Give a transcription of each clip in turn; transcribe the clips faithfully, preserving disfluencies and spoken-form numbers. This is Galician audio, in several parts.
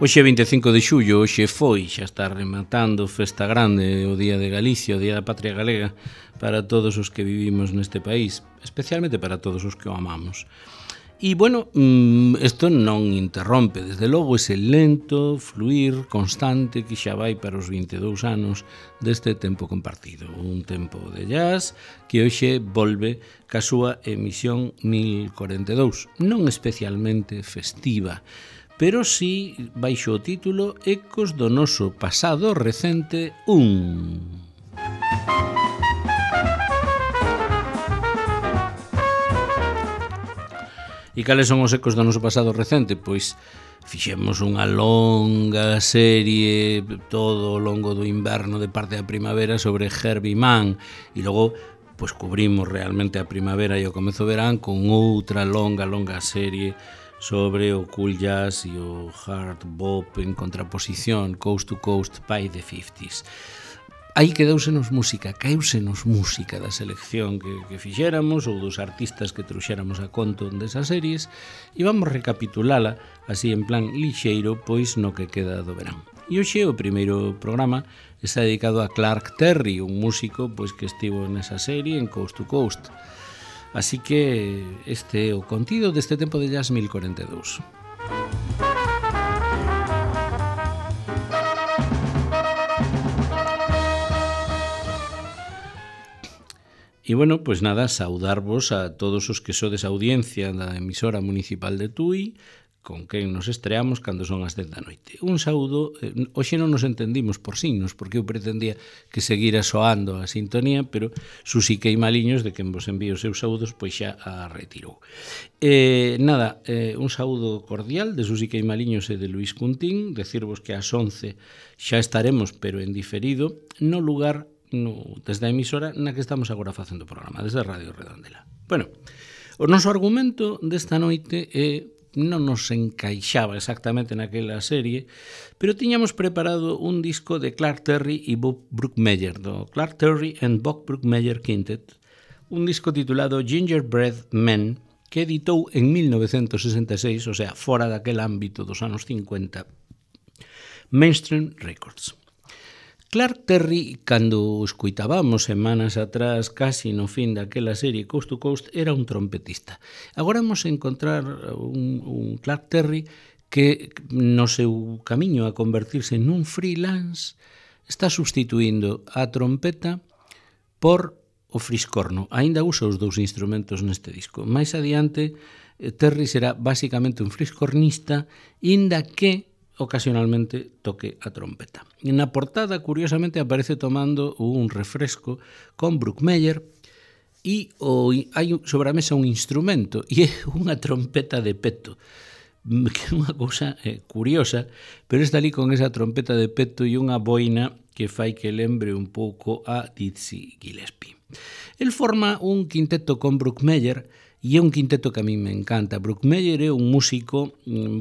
Hoxe vinte e cinco de xullo, hoxe foi, xa está rematando Festa Grande, o Día de Galicia, o Día da Patria Galega, para todos os que vivimos neste país, especialmente para todos os que o amamos. E, bueno, isto non interrompe, desde logo, ese lento fluir constante que xa vai para os vinte e dous anos deste tempo compartido. Un tempo de jazz que hoxe volve ca súa emisión mil corenta e dous, non especialmente festiva, pero sí baixo o título Ecos do noso pasado recente un. E cales son os ecos do noso pasado recente? Pois fixemos unha longa serie todo o longo do inverno de parte da primavera sobre Herbie Mann e logo pois cubrimos realmente a primavera e o comezo do verán con outra longa, longa serie sobre o cool jazz e o hard bop en contraposición, coast to coast by the fifties. Aí quedousenos música, caeusenos música da selección que, que fixéramos ou dos artistas que trouxéramos a conto desas series e vamos recapitulala así en plan lixeiro, pois no que queda do verán. E hoxe o primeiro programa está dedicado a Clark Terry, un músico pois que estivo nesa serie en Coast to Coast. Así que este é o contido deste tempo de jazz mil corenta e dous. E, bueno, pois nada, saudarvos a todos os que sodes audiencia da emisora municipal de Tui, con quen nos estreamos cando son as dez da noite. Un saúdo, eh, hoxe non nos entendimos por signos, porque eu pretendía que seguira soando a sintonía, pero Susi Queimaliños, de quen vos envío os seus saúdos, pois xa a retirou. Eh, nada, eh, un saúdo cordial de Susi Queimaliños e de Luís Cuntín, decirvos que ás once xa estaremos, pero en diferido, no lugar no, desde a emisora na que estamos agora facendo o programa, desde Radio Redondela. Bueno, o noso argumento desta noite é non nos encaixaba exactamente naquela serie, pero tiñamos preparado un disco de Clark Terry e Bob Brookmeyer, do Clark Terry and Bob Brookmeyer Quintet, un disco titulado Gingerbread Man, que editou en mil novecentos sesenta e seis, o sea, fora daquel ámbito dos anos cincuenta, Mainstream Records. Clark Terry, cando o escuitábamos semanas atrás, casi no fin daquela serie Coast to Coast, era un trompetista. Agora vamos a encontrar un, un Clark Terry que no seu camiño a convertirse nun freelance está substituindo a trompeta por o friscorno. Aínda usa os dous instrumentos neste disco. Mais adiante, Terry será basicamente un friscornista, inda que ocasionalmente toque a trompeta. Na portada, curiosamente, aparece tomando un refresco con Brookmeyer e o, hai sobre a mesa un instrumento e é unha trompeta de peto, que é unha cousa eh, curiosa, pero está ali con esa trompeta de peto e unha boina que fai que lembre un pouco a Dizzy Gillespie. El forma un quinteto con Brookmeyer e é un quinteto que a mí me encanta. Brookmeyer é un músico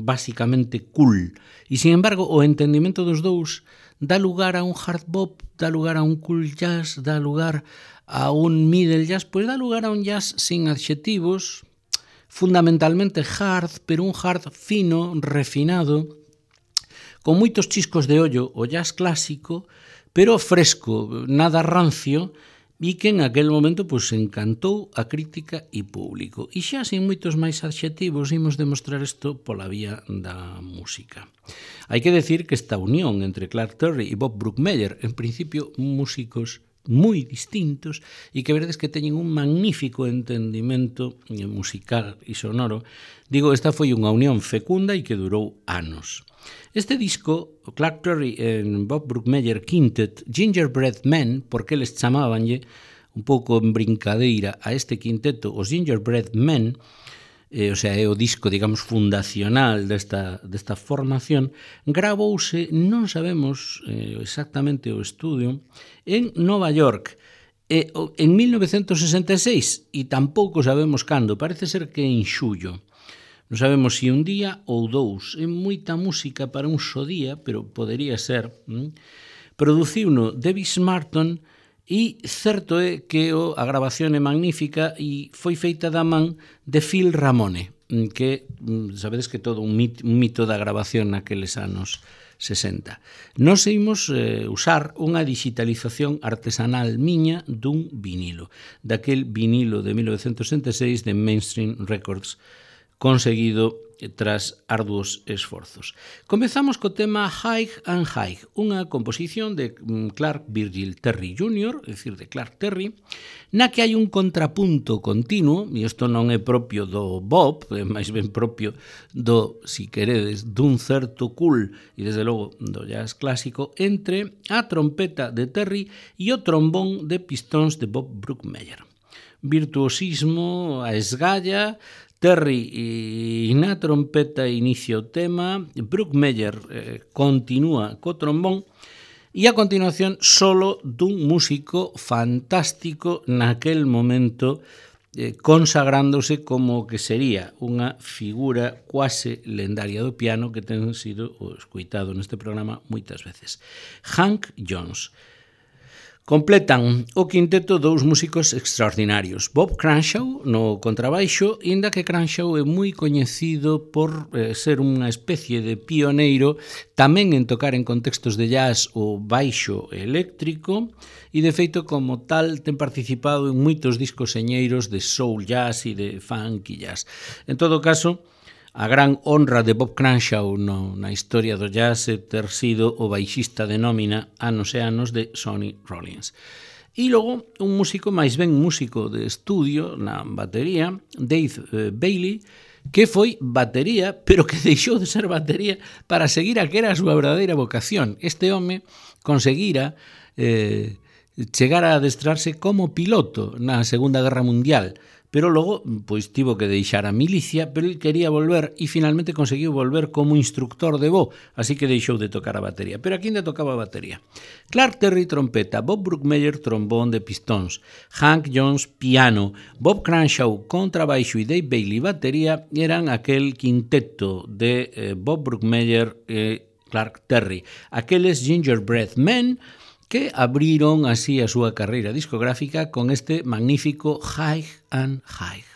basicamente cool e, sin embargo, o entendimento dos dous dá lugar a un hard bop, dá lugar a un cool jazz, dá lugar a un middle jazz, pois dá lugar a un jazz sin adxetivos, fundamentalmente hard, pero un hard fino, refinado, con moitos chiscos de ollo, o jazz clásico, pero fresco, nada rancio, e que en aquel momento pues, encantou a crítica e público. E xa sin moitos máis adxetivos imos demostrar isto pola vía da música. Hai que decir que esta unión entre Clark Terry e Bob Brookmeyer, en principio músicos moi distintos e que veredes que teñen un magnífico entendimento musical e sonoro, digo, esta foi unha unión fecunda e que durou anos. Este disco, Clark Terry e Bob Brookmeyer Quintet, Gingerbread Man, porque eles chamabanlle un pouco en brincadeira a este quinteto os Gingerbread Men, eh, o sea, é o disco, digamos, fundacional desta, desta formación, gravouse, non sabemos eh, exactamente o estudio, en Nova York, eh, en mil novecentos sesenta e seis, e tampouco sabemos cando, parece ser que en xullo. Non sabemos se un día ou dous. É moita música para un só día, pero podería ser. ¿Mm? Produciuno Davis Martin e certo é que a grabación é magnífica e foi feita da man de Phil Ramone. que sabedes que todo un mito, un mito da grabación naqueles anos sesenta. Nos imos eh, usar unha digitalización artesanal miña dun vinilo, daquel vinilo de mil novecentos sesenta e seis de Mainstream Records, conseguido tras arduos esforzos. Comezamos co tema High and High, unha composición de Clark Virgil Terry júnior, é dicir, de Clark Terry, na que hai un contrapunto continuo, e isto non é propio do bop, é máis ben propio do, si queredes, dun certo cool, e desde logo do jazz clásico, entre a trompeta de Terry e o trombón de pistóns de Bob Brookmeyer. Virtuosismo a esgalla, Terry e na trompeta inicia o tema, Brookmeyer eh, continúa co trombón e a continuación solo dun músico fantástico naquel momento eh, consagrándose como que sería unha figura quase lendaria do piano que ten sido escoitado neste programa moitas veces. Hank Jones. Completan o quinteto dous músicos extraordinarios. Bob Cranshaw no contrabaixo, inda que Cranshaw é moi coñecido por eh, ser unha especie de pioneiro tamén en tocar en contextos de jazz o baixo eléctrico e de feito como tal ten participado en moitos discos señeiros de soul jazz e de funk e jazz. En todo caso, a gran honra de Bob Cranshaw no, na historia do jazz é ter sido o baixista de nómina anos e anos de Sonny Rollins. E logo, un músico, máis ben músico de estudio na batería, Dave eh, Bailey, que foi batería, pero que deixou de ser batería para seguir a que era a súa verdadeira vocación. Este home conseguira eh, chegar a adestrarse como piloto na Segunda Guerra Mundial, pero logo pois tivo que deixar a milicia, pero ele quería volver e finalmente conseguiu volver como instructor de voo, así que deixou de tocar a batería. Pero aquí ainda tocaba a batería. Clark Terry trompeta, Bob Brookmeyer trombón de pistóns, Hank Jones piano, Bob Cranshaw contrabaixo e Dave Bailey batería eran aquel quinteto de eh, Bob Brookmeyer e Clark Terry, aqueles Gingerbread Men que abriron así a súa carreira discográfica con este magnífico High and High.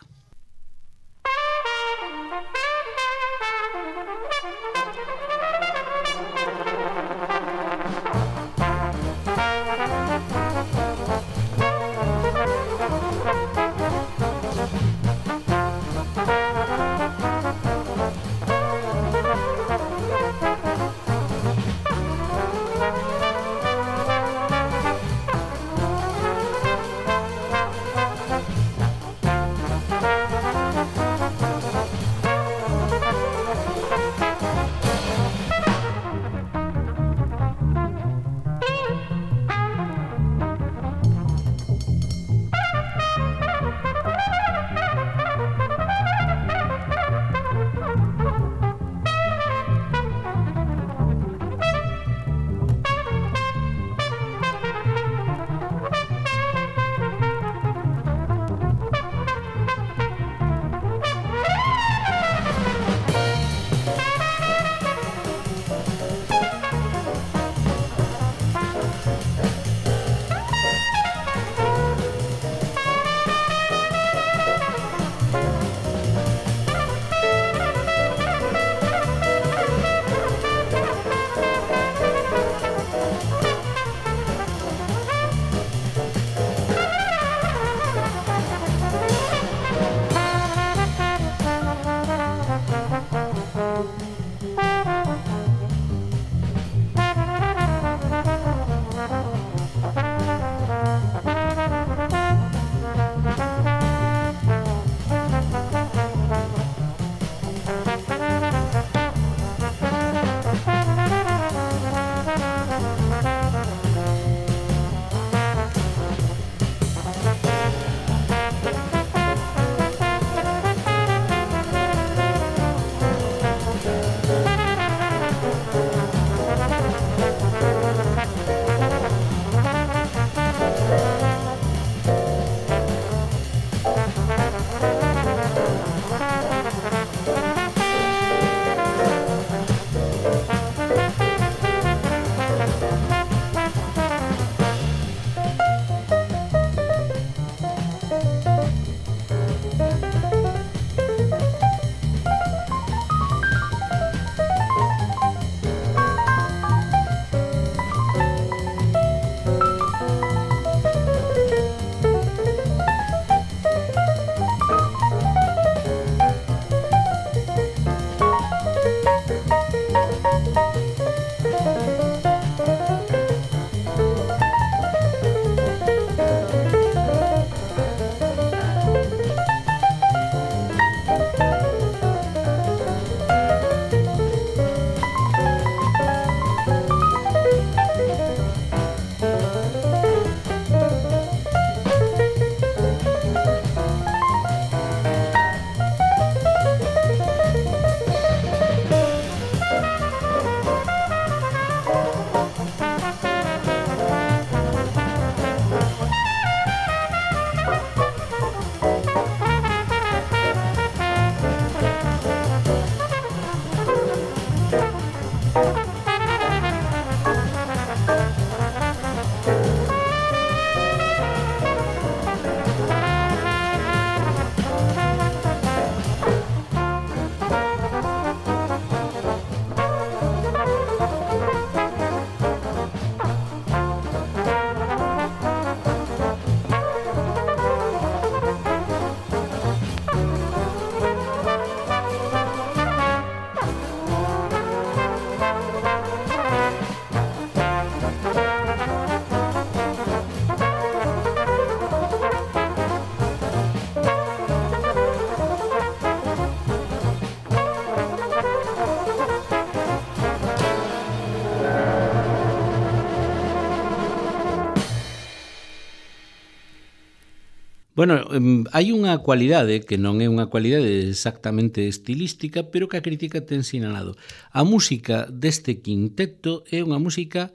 Bueno, hai unha cualidade que non é unha cualidade exactamente estilística, pero que a crítica ten sinalado. A música deste quinteto é unha música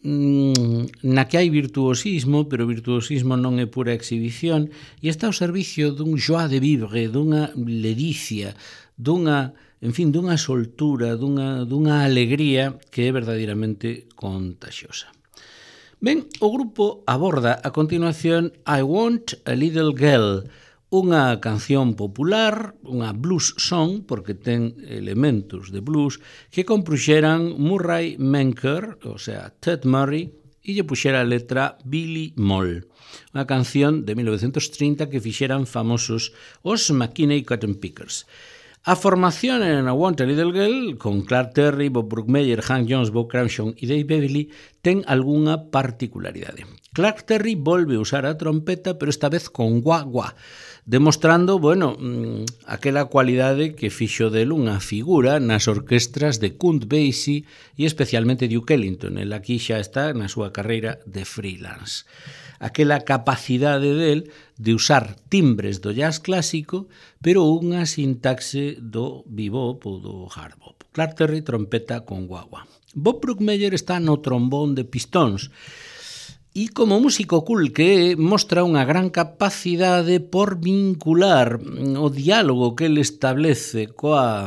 na que hai virtuosismo, pero o virtuosismo non é pura exhibición, e está ao servicio dun joie de vivre, dunha ledicia, dunha, en fin, dunha soltura, dunha, dunha alegría que é verdadeiramente contagiosa. Ben, o grupo aborda a continuación I Want a Little Girl, unha canción popular, unha blues song, porque ten elementos de blues, que compruxeran Murray Menker, o sea, Ted Murray, e lle puxera a letra Billy Moll, unha canción de mil novecentos trinta que fixeran famosos os McKinney Cotton Pickers. A formación en I Want a Little Girl, con Clark Terry, Bob Brookmeyer, Hank Jones, Bob Cranshaw e Dave Bailey, ten algunha particularidade. Clark Terry volve a usar a trompeta, pero esta vez con guagua, demostrando, bueno, aquela cualidade que fixo del unha figura nas orquestras de Count Basie e especialmente Duke Ellington. El aquí xa está na súa carreira de freelance. Aquela capacidade del de usar timbres do jazz clásico, pero unha sintaxe do bebop ou do hard bop. Clark Terry, trompeta con guagua. Bob Brookmeyer está no trombón de pistóns, e como músico cool que mostra unha gran capacidade por vincular o diálogo que ele establece coa,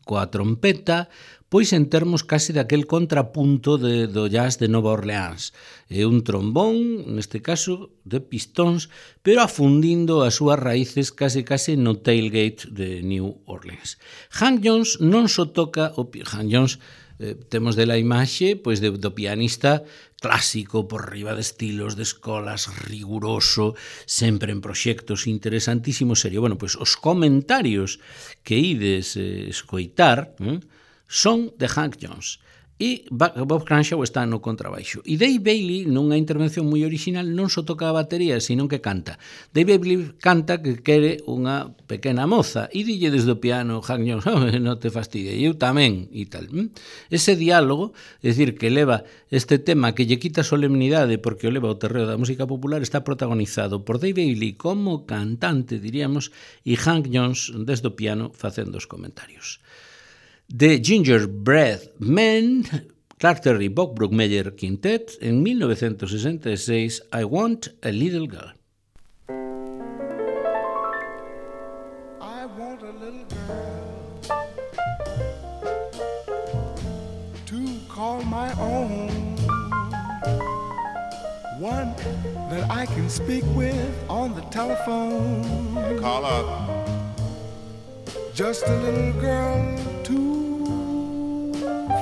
coa trompeta, pois en termos case daquel contrapunto de, do jazz de Nova Orleans. É un trombón, neste caso, de pistóns, pero afundindo as súas raíces case case no tailgate de New Orleans. Hank Jones non só toca, o, Hank Jones eh, temos de la imaxe pois de, do pianista clásico por riba de estilos, de escolas, riguroso, sempre en proxectos interesantísimos, serio. Bueno, pois os comentarios que ides eh, escoitar eh, son de Hank Jones. E Bob Cranshaw está no contrabaixo. E Dave Bailey, nunha intervención moi original, non só toca a batería, sino que canta. Dave Bailey canta que quere unha pequena moza e dille desde o piano Hank Jones, oh, non te fastidie, eu tamén, e tal. Ese diálogo, é dicir, que leva este tema que lle quita solemnidade porque o leva ao terreo da música popular, está protagonizado por Dave Bailey como cantante, diríamos, e Hank Jones desde o piano facendo os comentarios. The Gingerbread Men, Clark Terry, Bob Brookmeyer Quintet, en mil novecentos sesenta e seis, I Want a Little Girl. I want a little girl to call my own, one that I can speak with on the telephone. Call up. Just a little girl to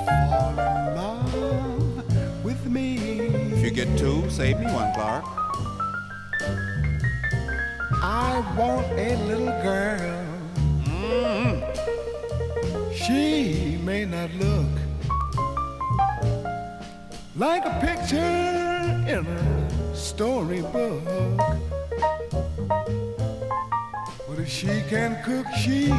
fall in love with me. If you get two, save me one, Clark. I want a little girl. Mm-hmm. She may not look like a picture in a storybook, but if she can cook, she's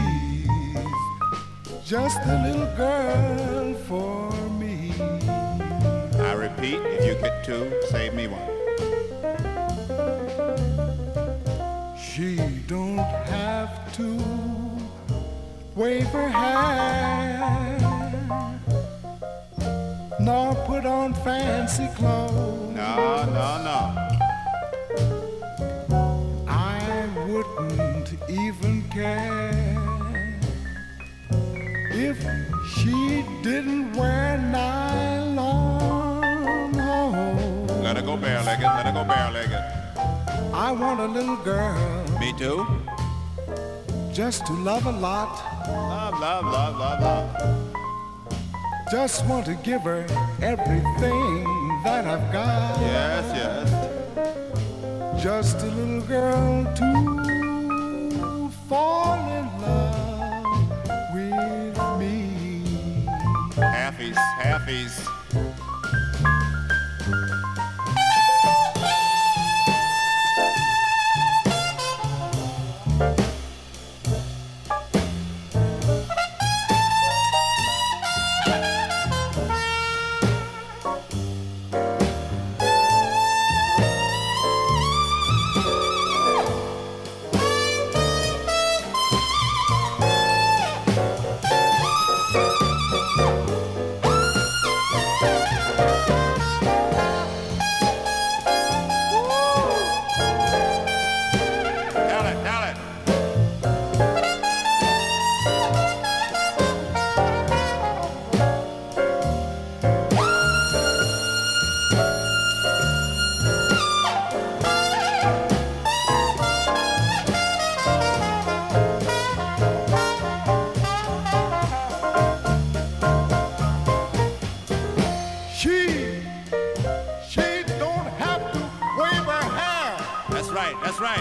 just a little girl for me. I repeat, if you get two, save me one. She don't have to wave her hair nor put on fancy clothes. No, no, no. I wouldn't even care if she didn't wear nylon. Oh, Let her go bare-legged, let her go bare-legged. I want a little girl Me too. just to love a lot. Love, love, love, love, love. Just want to give her everything that I've got. Yes, yes. Just a little girl to fall in love with me. Halfies, halfies.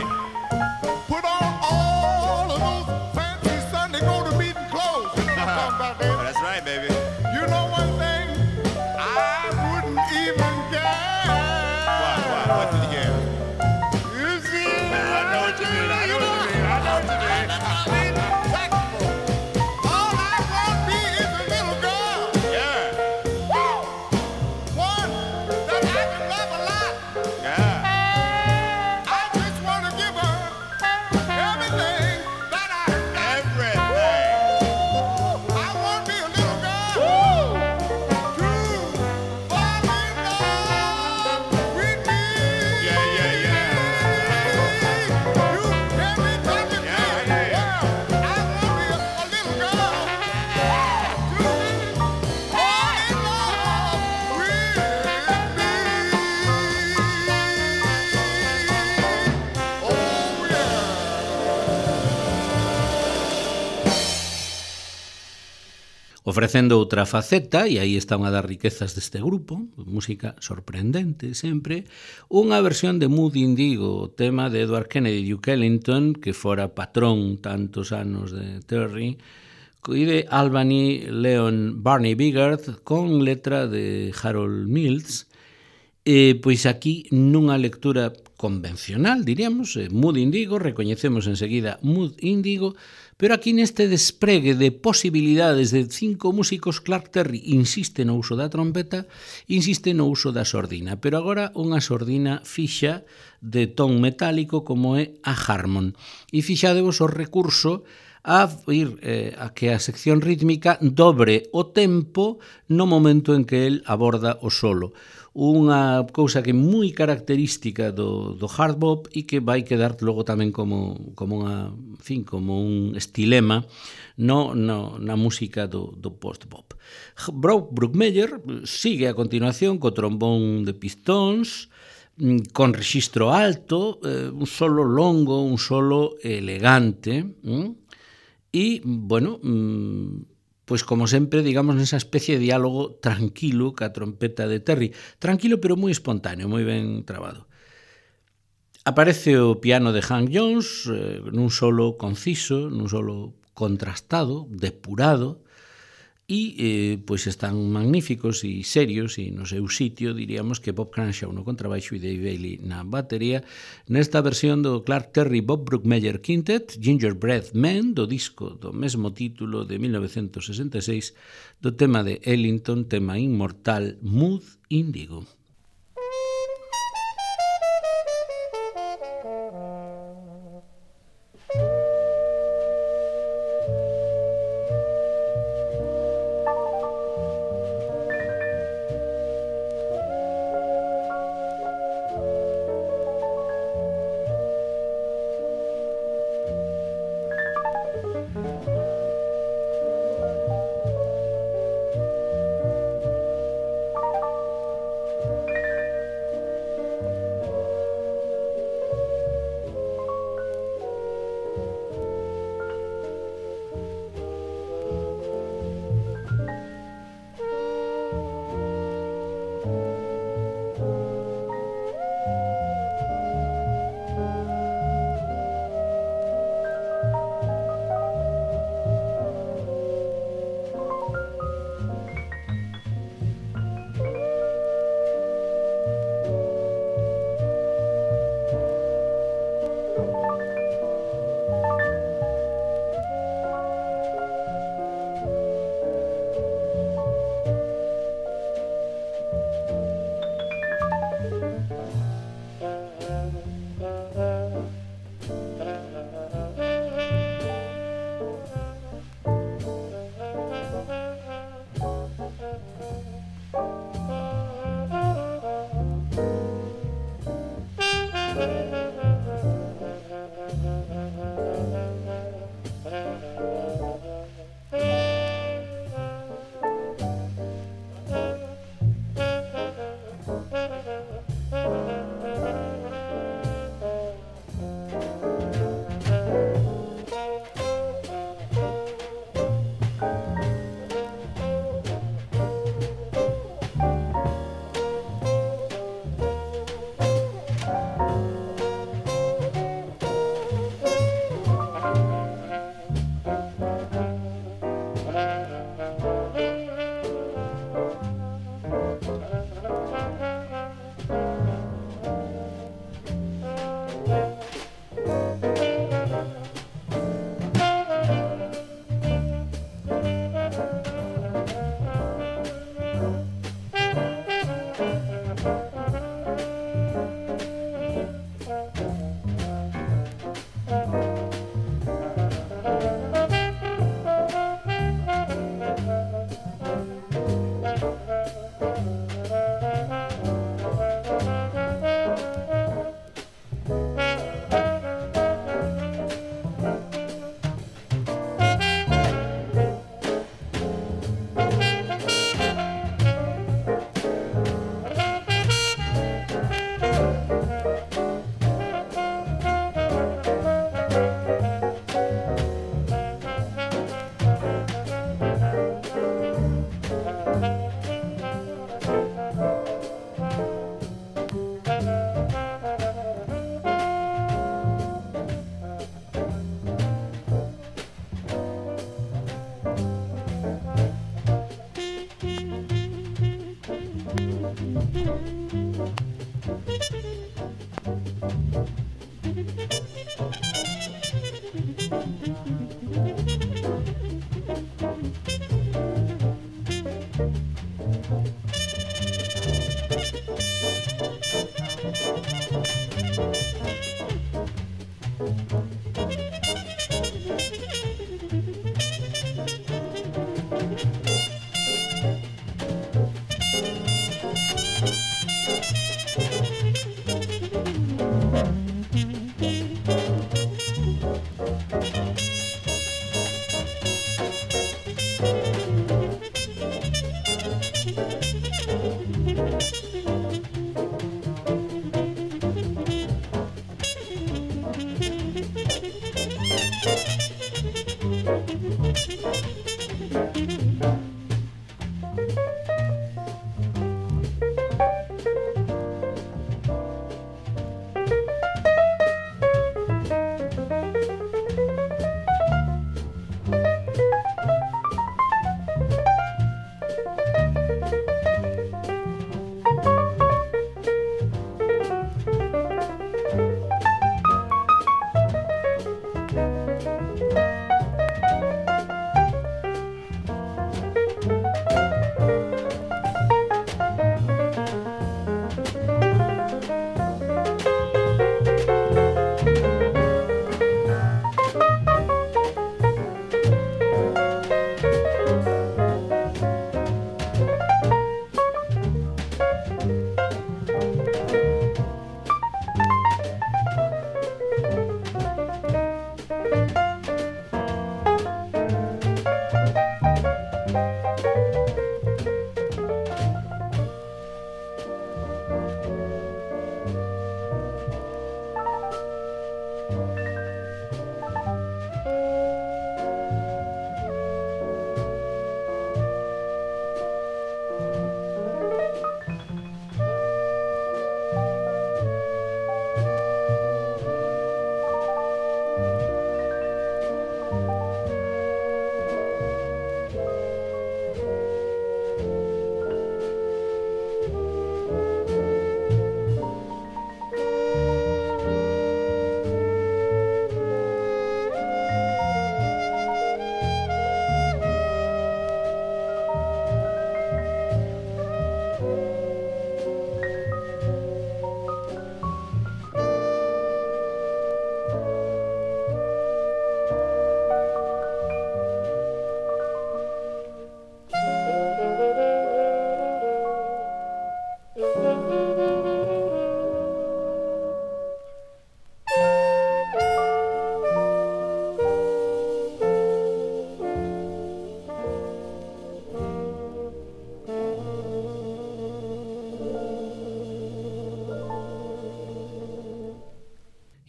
right. Put on all of those fancy Sunday go to meeting clothes. You know what I'm talking about, David? That's right, baby. You know one thing? I wouldn't even guess. What, what, what did you get? You see? I know what you mean, I know what you mean, I know what you mean. All I want to be is a little girl. Yeah, One that I can love a lot. yeah. I just want to give her everything that I got. Everything. I want to be a little girl to fall in love with me. Yeah, yeah, yeah. You hear me talking Yeah, I to hear you? ya. I want to be a, a little girl to fall in love with me. Oh, yeah. Ofrecendo outra faceta, e aí está unha das riquezas deste grupo, música sorprendente sempre, unha versión de Mood Indigo, o tema de Edward Kennedy Duke Ellington, que fora patrón tantos anos de Terry, e de Albany Leon Barney Bigard, con letra de Harold Mills. E, pois aquí nunha lectura convencional, diríamos, eh, Mood Indigo, recoñecemos enseguida Mood Indigo, pero aquí neste despregue de posibilidades de cinco músicos, Clark Terry insiste no uso da trompeta, insiste no uso da sordina, pero agora unha sordina fixa de ton metálico como é a Harmon. E fixadevos o recurso a ir eh, a que a sección rítmica dobre o tempo no momento en que el aborda o solo. Unha cousa que é moi característica do, do hard bop e que vai quedar logo tamén como, como, unha, en fin, como un estilema no, no, na música do, do post-bop. Brock Bruckmeyer sigue a continuación co trombón de pistóns, con rexistro alto, eh, un solo longo, un solo elegante, hm? E, bueno, pois como sempre, digamos, nesa especie de diálogo tranquilo ca trompeta de Terry. Tranquilo, pero moi espontáneo, moi ben trabado. Aparece o piano de Hank Jones, eh, nun solo conciso, nun solo contrastado, depurado, e eh, pois están magníficos e serios e no seu sitio, diríamos que Bob Cranshaw no contrabaixo e Dave Bailey na batería, nesta versión do Clark Terry Bob Bruckmeyer Quintet, Gingerbread Man, do disco do mesmo título de mil novecentos sesenta e seis, do tema de Ellington, tema inmortal Mood Indigo.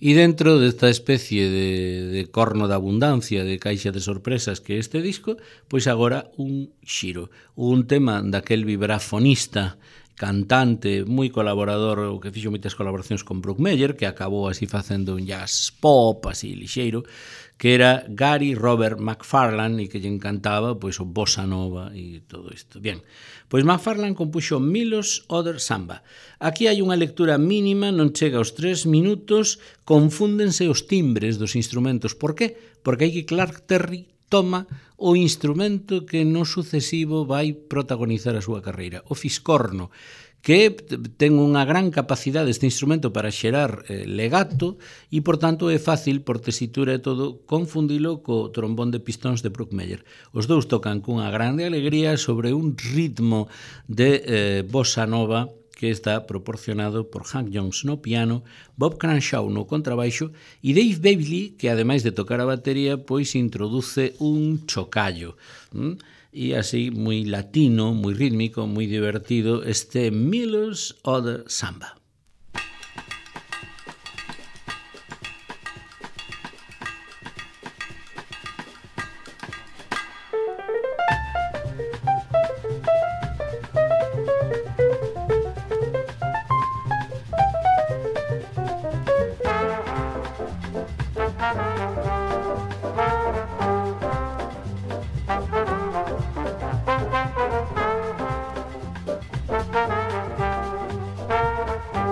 E dentro desta especie de, de corno de abundancia, de caixa de sorpresas que é este disco, pois agora un xiro, un tema daquel vibrafonista, cantante, moi colaborador, o que fixo moitas colaboracións con Bruckmeyer, que acabou así facendo un jazz pop, así lixeiro, que era Gary Robert McFarlane e que lle encantaba pois o bossa nova e todo isto. Bien, pois McFarlane compuxo Milo's Other Samba. Aquí hai unha lectura mínima, non chega aos tres minutos, confúndense os timbres dos instrumentos. Por que? Porque hai que Clark Terry toma o instrumento que no sucesivo vai protagonizar a súa carreira, o fiscorno, que ten unha gran capacidade este instrumento para xerar eh, legato e, por tanto, é fácil, por tesitura e todo, confundilo co trombón de pistóns de Bruckmeyer. Os dous tocan cunha grande alegría sobre un ritmo de eh, bossa nova que está proporcionado por Hank Jones no piano, Bob Cranshaw no contrabaixo e Dave Bailey, que ademais de tocar a batería, pois introduce un chocallo. ¿Mm? E así, moi latino, moi rítmico, moi divertido, este Milo's Other Samba. Thank you.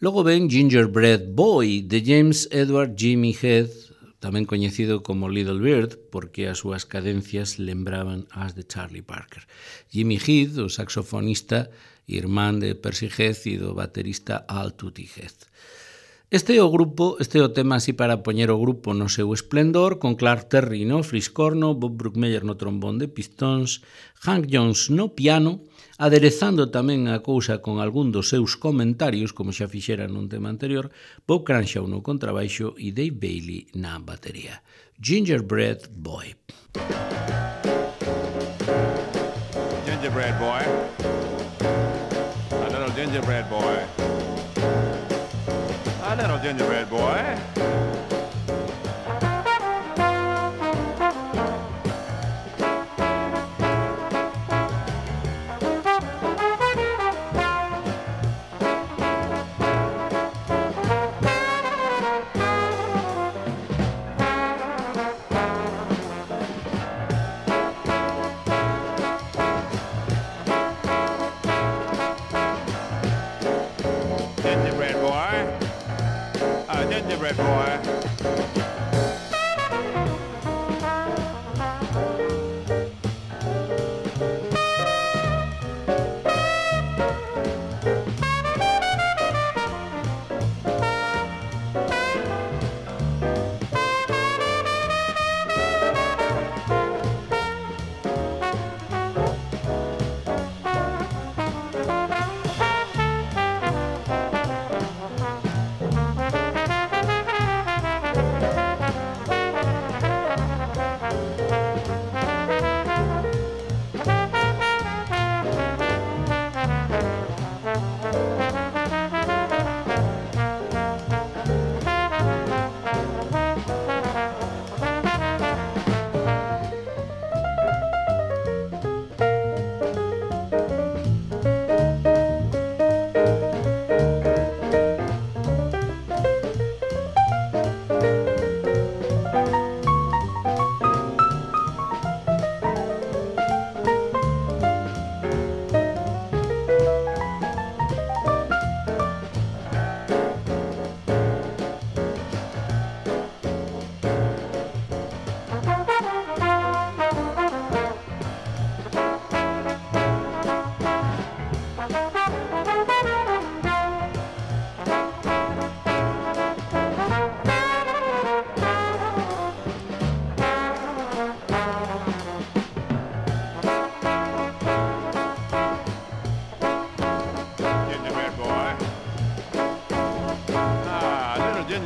Logo ven Gingerbread Boy, de James Edward Jimmy Heath, tamén coñecido como Little Bird, porque as súas cadencias lembraban as de Charlie Parker. Jimmy Heath, o saxofonista, irmán de Percy Heath e do baterista Al Tutti Heath. Este é o grupo, este é o tema así para poñer o grupo no seu esplendor, con Clark Terry no fliscorno, Bob Brookmeyer no trombón de pistóns, Hank Jones no piano, aderezando tamén a cousa con algún dos seus comentarios, como xa fixera nun tema anterior, Bob Cranshaw no contrabaixo e Dave Bailey na batería. Gingerbread Boy. Gingerbread boy. A little gingerbread boy. A little gingerbread boy. Gingerbread boy. A gingerbread boy.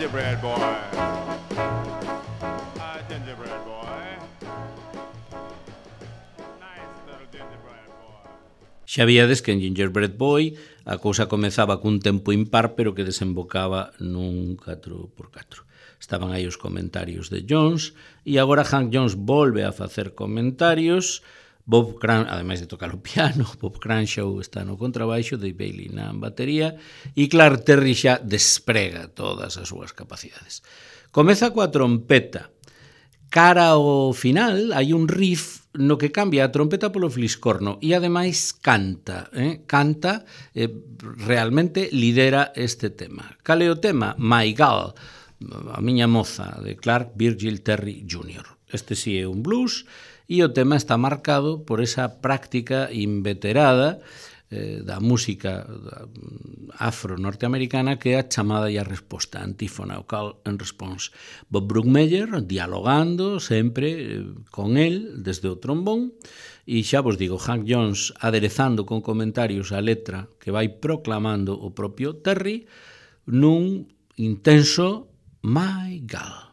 gingerbread boy. Ah, gingerbread boy. Nice little gingerbread boy. Xa víades que en Gingerbread Boy a cousa comezaba cun tempo impar, pero que desembocaba nun catro por catro. Estaban aí os comentarios de Jones, e agora Hank Jones volve a facer comentarios. Bob Cran, ademais de tocar o piano, Bob Cranshaw está no contrabaixo, Dave Bailey na batería, e Clark Terry xa desprega todas as súas capacidades. Comeza coa trompeta. Cara ao final hai un riff no que cambia a trompeta polo fliscorno e ademais canta, eh? canta, eh, realmente lidera este tema. Cal é o tema? My Gal, a miña moza, de Clark Virgil Terry júnior Este sí é un blues, e o tema está marcado por esa práctica inveterada eh, da música afro-norteamericana que é a chamada e a resposta, antífona, o call and response. Bob Brookmeyer dialogando sempre eh, con el desde o trombón, e xa vos digo, Hank Jones aderezando con comentarios a letra que vai proclamando o propio Terry nun intenso My Gal.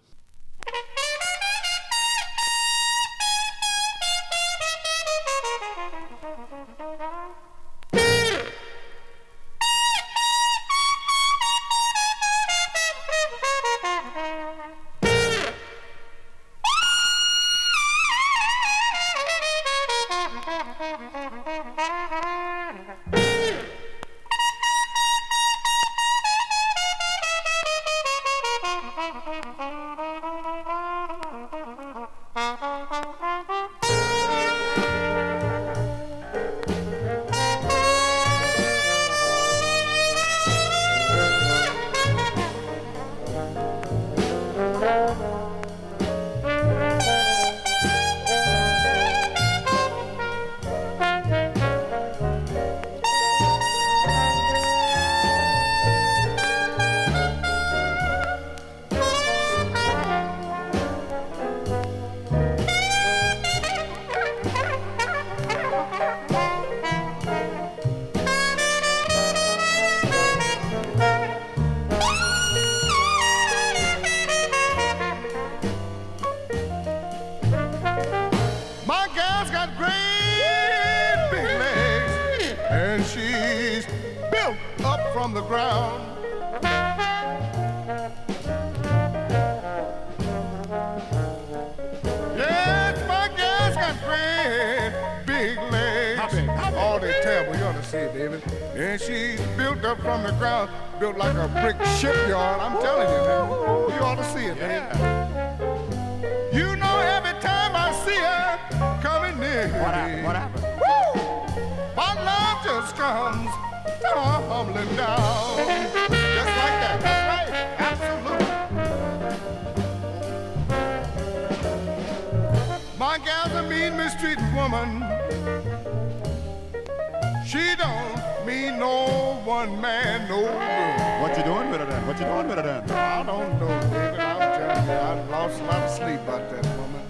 Thank you. built up from the ground. Yes, my gal's got great big legs. How big? How big? Oh, they terrible. You ought to see it, David. And she's built up from the ground, built like a brick shipyard. I'm telling you, man. Ooh, you ought to see it, man. You know, every time I see her coming near What me, happened? What happened? woo, my love just comes tumbling down. Just like that. That's right. Absolutely. My gal's a mean, mistreated woman. She don't mean no one man, no good. What you doing with her then? What you doing with her then? I don't know, David. I'm telling you, I've lost a lot of sleep about that woman.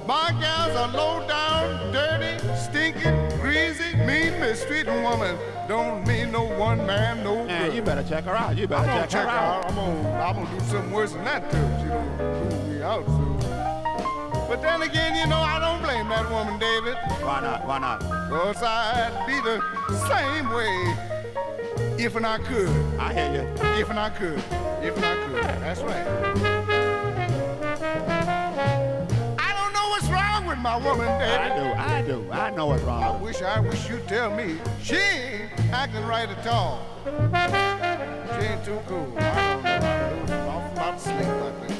My gal's a low down, dirty, stinking, greasy, mean, mistreating woman. Don't mean no one man, no Man, good. you better check her out. You I'm better gonna check, check her her out. out. I'm gonna, I'm gonna do something worse than that too. She don't prove me out soon. But then again, you know, I don't blame that woman, David. Why not? Why not? Cause I'd be the same way if and I could. I hear you. If and I could. If and I could. That's right. I don't know what's wrong with my woman, I David. do. I do. I know what's I wrong. wish, I wish you'd tell me. She ain't acting right at all. She ain't too cool. I don't know. I lose an awful lot of sleep, I think.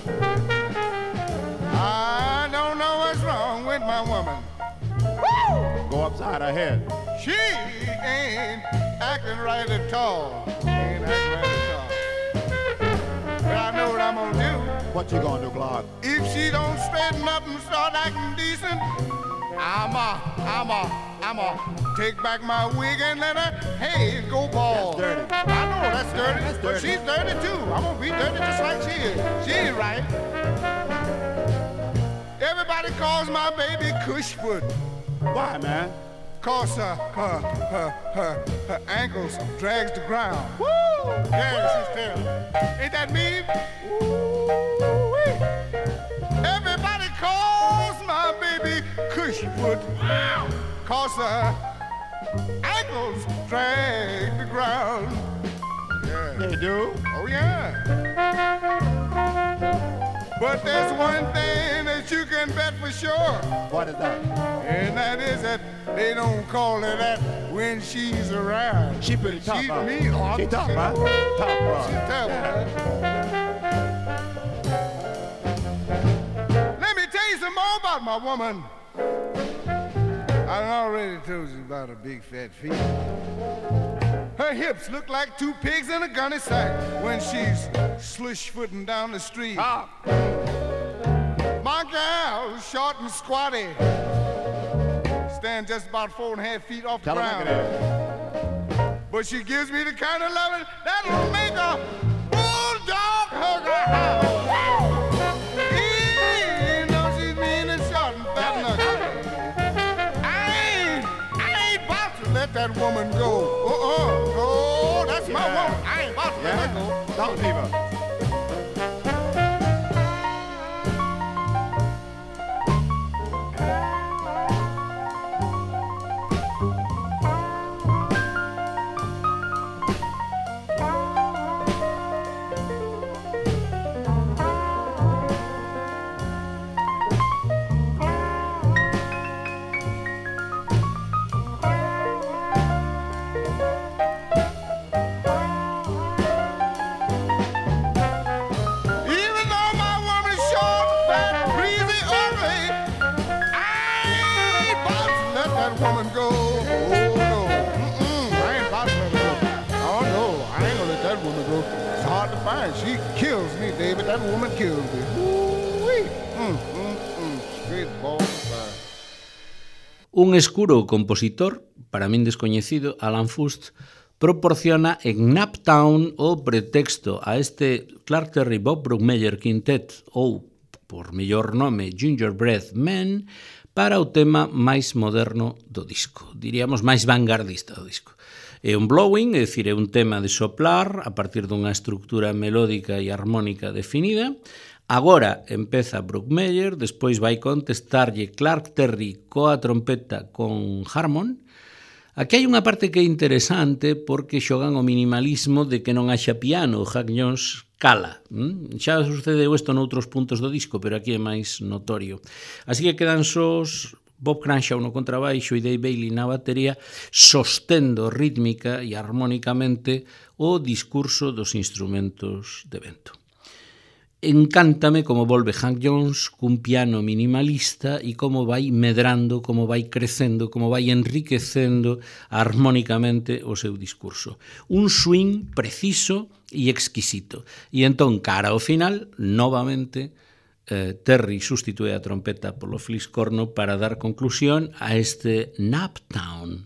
I don't know what's wrong with my woman. Go upside her head. She ain't acting right at all. She ain't acting right at all. But I know what I'm gonna do. What you gonna do, Clark? If she don't straighten up and start acting decent, I'm a, I'm a, I'm a take back my wig and let her hair go bald. That's dirty. I know that's dirty, That's but dirty. she's dirty too. I'm gonna be dirty just like she is. She ain't right. Everybody calls my baby Cushfoot. Why, man? Cause her, her, her, her, her ankles drags the ground. Woo! Yeah, she's terrible. Ain't that mean? Woo-wee. Everybody calls my baby Cushfoot. Cause her ankles drag the ground. Yeah. They do. Oh, yeah. But there's one thing that you can bet for sure. What is that? And that is that they don't call her that when she's around. She pretty tough, She's huh? mean. Oh, She tough, huh? Tough, She's huh? terrible. Let me tell you some more about my woman. I already told you about her big fat feet. Her hips look like two pigs in a gunny sack when she's slush-footing down the street. Ah, My gal's short and squatty. Stand just about four and a half feet off the tell her look ground. at that. But she gives me the kind of loving that'll make a bulldog hug her house. Even though she's mean and short and fat and ugly. I ain't, I ain't about to let that woman go. Uh-uh. Oh, that's my Yeah. woman. I ain't about to let her go. Yeah? Don't leave her. Even though my woman's short, fat, breezy, ugly, I ain't about to let that woman go. Oh no, mm-mm, I ain't about to let her go. Oh no, I ain't gonna let that woman go. It's hard to find. She kills me, David. That woman kills me. Ooh-wee. Mm, mm, mm. Straight balls of fire. Un escuro compositor, para min descoñecido, Alan Fust, proporciona en Naptown o pretexto a este Clark Terry Bob Brookmeyer Quintet ou, por mellor nome, Gingerbread Man, para o tema máis moderno do disco, diríamos máis vanguardista do disco. É un blowing, é dicir, é un tema de soplar a partir dunha estructura melódica e armónica definida. Agora empeza Brookmeyer, despois vai contestarlle Clark Terry coa trompeta con Harmon. Aquí hai unha parte que é interesante porque xogan o minimalismo de que non haxa piano. O Hank Jones cala. ¿Mm? Xa sucedeu isto noutros puntos do disco, pero aquí é máis notorio. Así que quedan sós Bob Cranshaw no contrabaixo e Dave Bailey na batería, sostendo rítmica e armónicamente o discurso dos instrumentos de vento. Encántame como volve Hank Jones cun piano minimalista e como vai medrando, como vai crecendo, como vai enriquecendo armónicamente o seu discurso. Un swing preciso e exquisito. E entón, cara ao final, novamente, eh, Terry sustitúe a trompeta polo fliscorno para dar conclusión a este Naptown.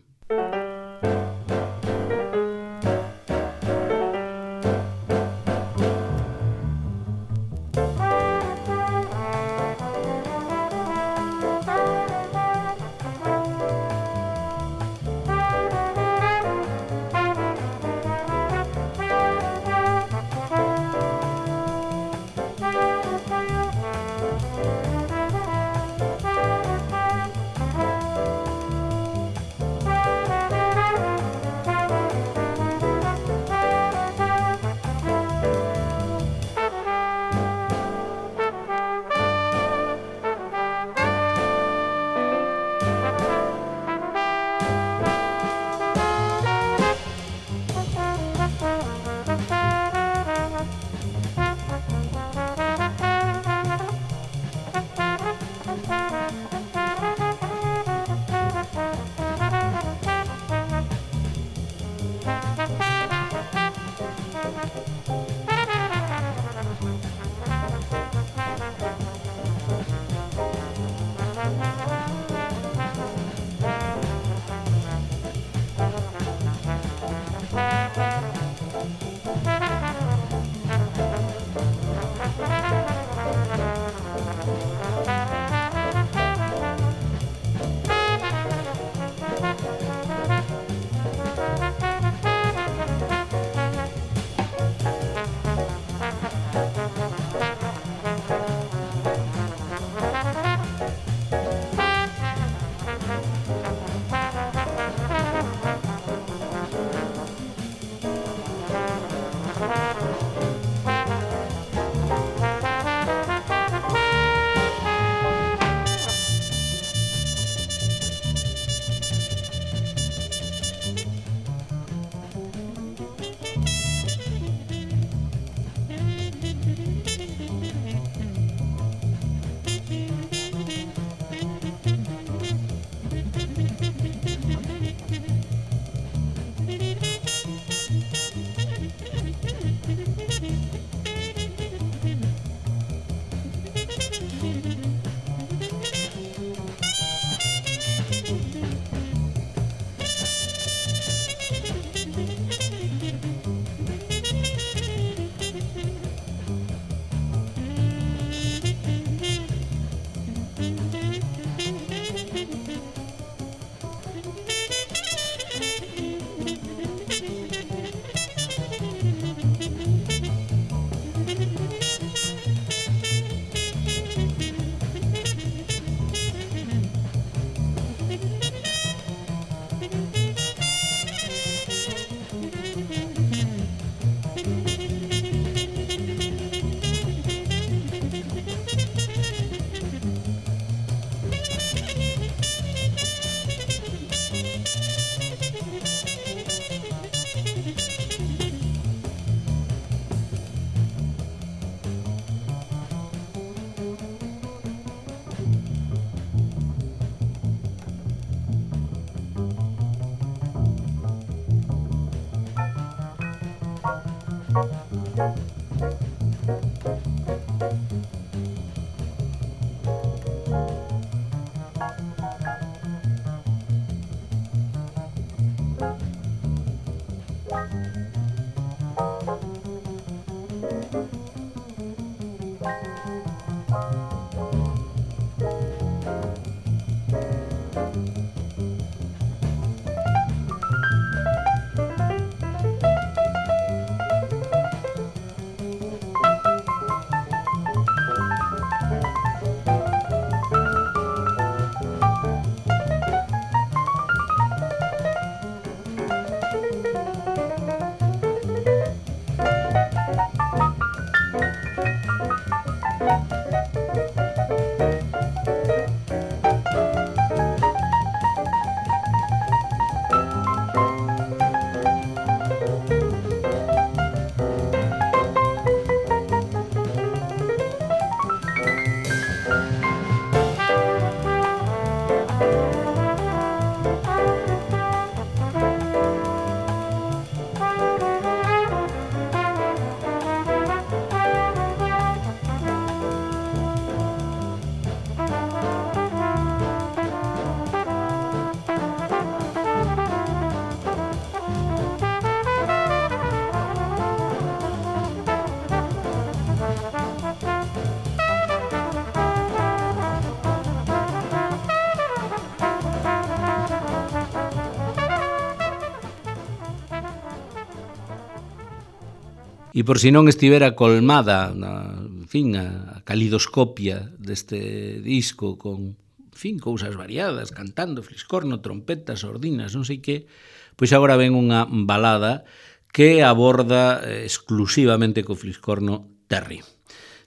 E por si non estivera colmada na, en fin, a calidoscopia deste disco con, en fin, cousas variadas, cantando, fliscorno, trompetas, sordinas, non sei que, pois agora ven unha balada que aborda exclusivamente co fliscorno Terry.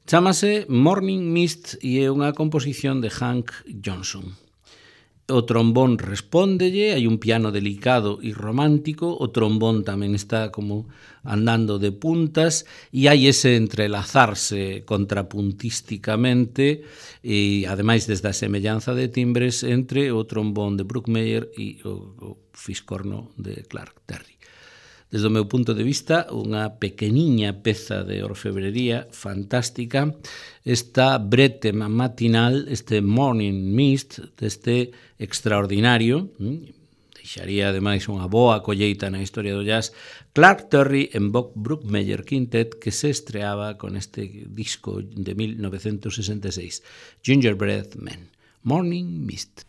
Chámase Morning Mist e é unha composición de Hank Johnson. O trombón respóndelle, hai un piano delicado e romántico, o trombón tamén está como andando de puntas e hai ese entrelazarse contrapuntísticamente e ademais desde a semellanza de timbres entre o trombón de Bruckmeyer e o, o fiscorno de Clark Terry. Desde o meu punto de vista, unha pequeniña peza de orfebrería fantástica, esta brete matinal, este Morning Mist, deste extraordinario, deixaría ademais unha boa colleita na historia do jazz, Clark Terry en Bob Bruckmeyer Quintet, que se estreaba con este disco de mil novecentos sesenta e seis, Gingerbread Man, Morning Mist.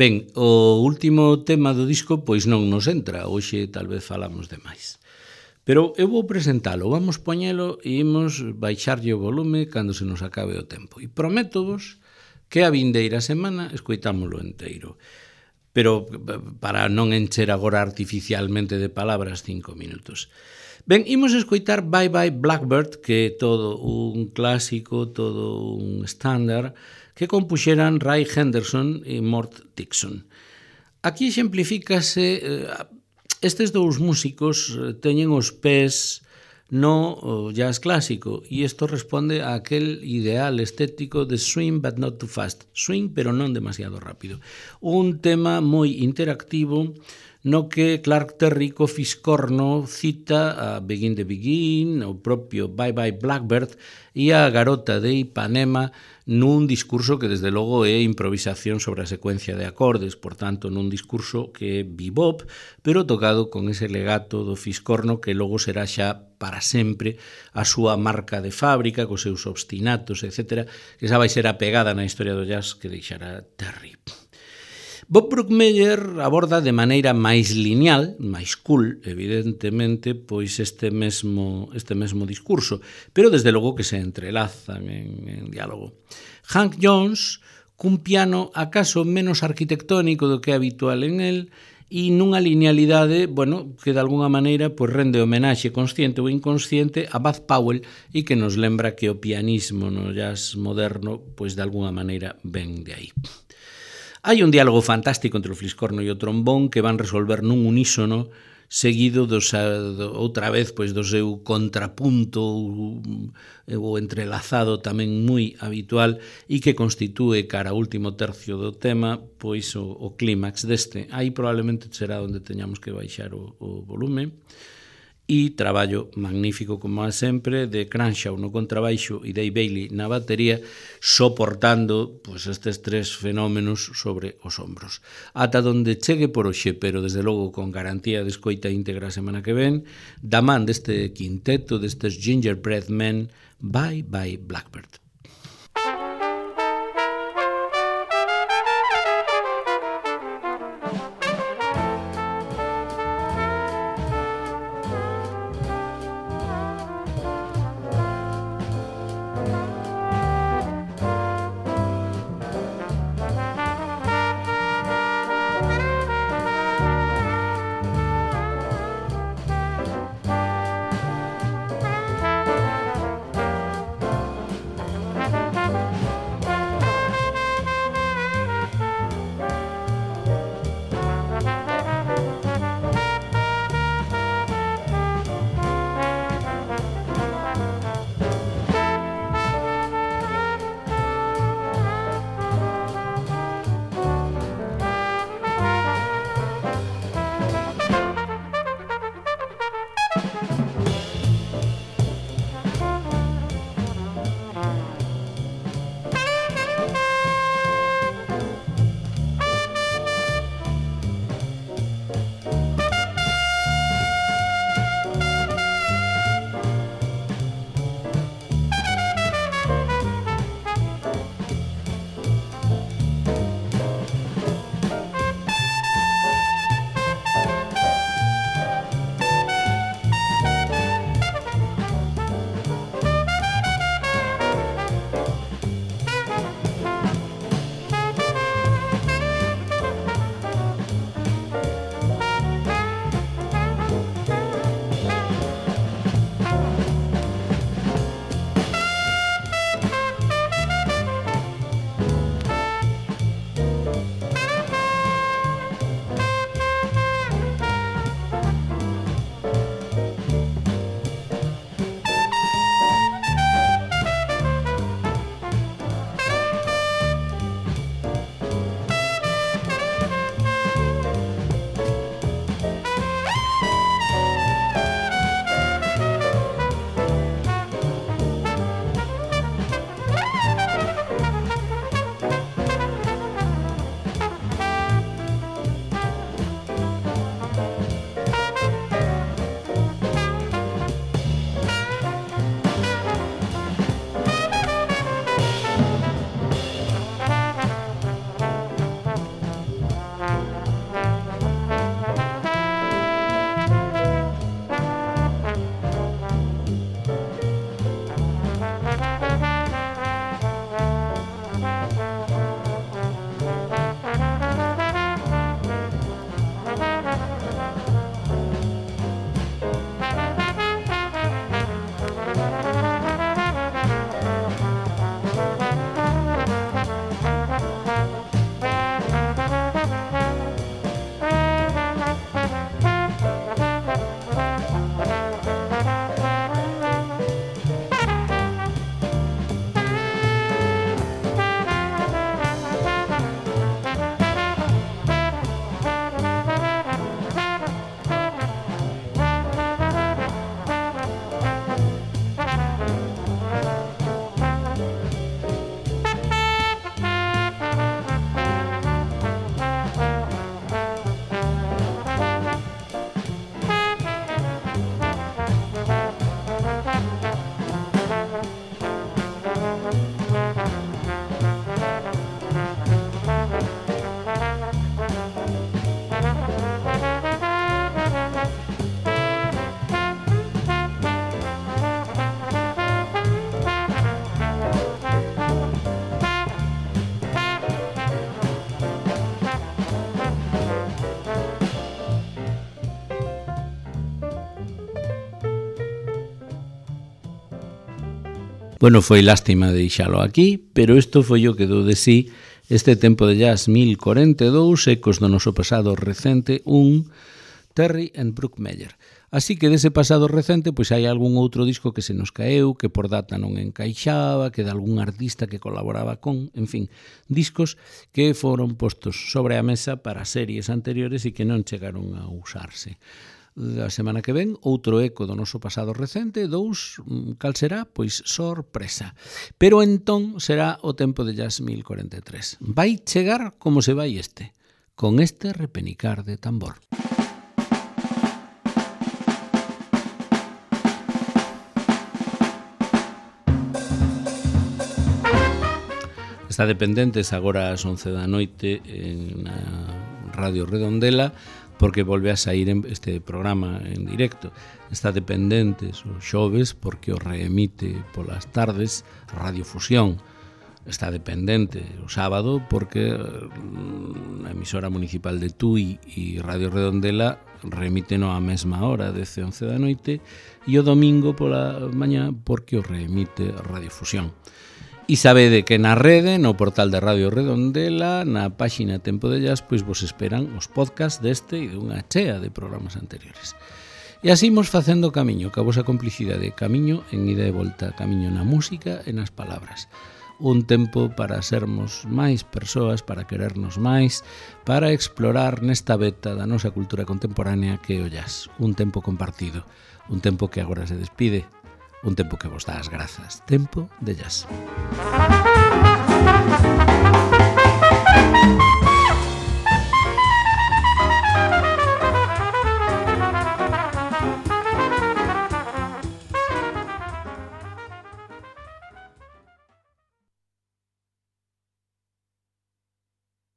Ben, o último tema do disco pois non nos entra, hoxe tal vez falamos de máis. Pero eu vou presentalo, vamos poñelo e imos baixarlle o volume cando se nos acabe o tempo. E prométovos que a vindeira semana escoitámolo enteiro. Pero para non encher agora artificialmente de palabras cinco minutos. Ben, imos escoitar Bye Bye Blackbird, que é todo un clásico, todo un estándar, que compuxeran Ray Henderson e Mort Dixon. Aquí exemplifícase, estes dous músicos teñen os pés no o jazz clásico, e isto responde a aquel ideal estético de swing but not too fast, swing pero non demasiado rápido. Un tema moi interactivo no que Clark Terry co Fiscorno cita a Begin the Begin, o propio Bye Bye Blackbird e a Garota de Ipanema nun discurso que desde logo é improvisación sobre a secuencia de acordes, por tanto nun discurso que é bebop, pero tocado con ese legato do Fiscorno que logo será xa para sempre a súa marca de fábrica, cos seus obstinatos, etcétera, que xa vai ser a pegada na historia do jazz que deixará Terry. Bob Brookmeyer aborda de maneira máis lineal, máis cool, evidentemente, pois este mesmo, este mesmo discurso, pero desde logo que se entrelazan en, en diálogo. Hank Jones, cun piano acaso menos arquitectónico do que é habitual en el, e nunha linealidade, bueno, que de alguna maneira pois rende homenaxe consciente ou inconsciente a Bud Powell e que nos lembra que o pianismo no jazz moderno, pois de alguna maneira ven de aí. Hai un diálogo fantástico entre o fliscorno e o trombón que van resolver nun unísono seguido dos, do, outra vez pois do seu contrapunto ou entrelazado tamén moi habitual e que constitúe cara ao último tercio do tema pois o, o clímax deste. Aí probablemente será onde teñamos que baixar o, o volume. E traballo magnífico, como a sempre, de Cranshaw no contrabaixo e Dave Bailey na batería, soportando pues, estes tres fenómenos sobre os ombros. Ata donde chegue por hoxe, pero desde logo con garantía de escoita íntegra a semana que ven, da man deste quinteto, destes Gingerbread Men, Bye Bye Blackbird. Bueno, foi lástima deixalo aquí, pero isto foi o que dou de sí este tempo de jazz mil cuarenta e dous, ecos do noso pasado recente, un Terry and Brooke Meyer. Así que dese pasado recente, pois hai algún outro disco que se nos caeu, que por data non encaixaba, que de algún artista que colaboraba con, en fin, discos que foron postos sobre a mesa para series anteriores e que non chegaron a usarse. A semana que ven, outro eco do noso pasado recente, dous, cal será? Pois sorpresa. Pero entón será o tempo de jazz mil cuarenta e tres. Vai chegar como se vai este, con este repenicar de tambor. Está dependentes agora ás once da noite na Radio Redondela, porque volve a sair este programa en directo. Está dependentes os xoves, porque o reemite polas tardes Radio Fusión. Está dependente o sábado, porque a emisora municipal de Tui e Radio Redondela remiten á mesma hora, dez e once da noite, e o domingo pola mañá, porque o reemite Radio Fusión. E sabede que na rede, no portal de Radio Redondela, na páxina Tempo de Jazz, pois vos esperan os podcasts deste e dunha chea de programas anteriores. E así imos facendo camiño, que a vosa complicidade, camiño en ida e volta, camiño na música e nas palabras. Un tempo para sermos máis persoas, para querernos máis, para explorar nesta beta da nosa cultura contemporánea que é o jazz. Un tempo compartido, un tempo que agora se despide, un tempo que vos dá as grazas. Tempo de jazz.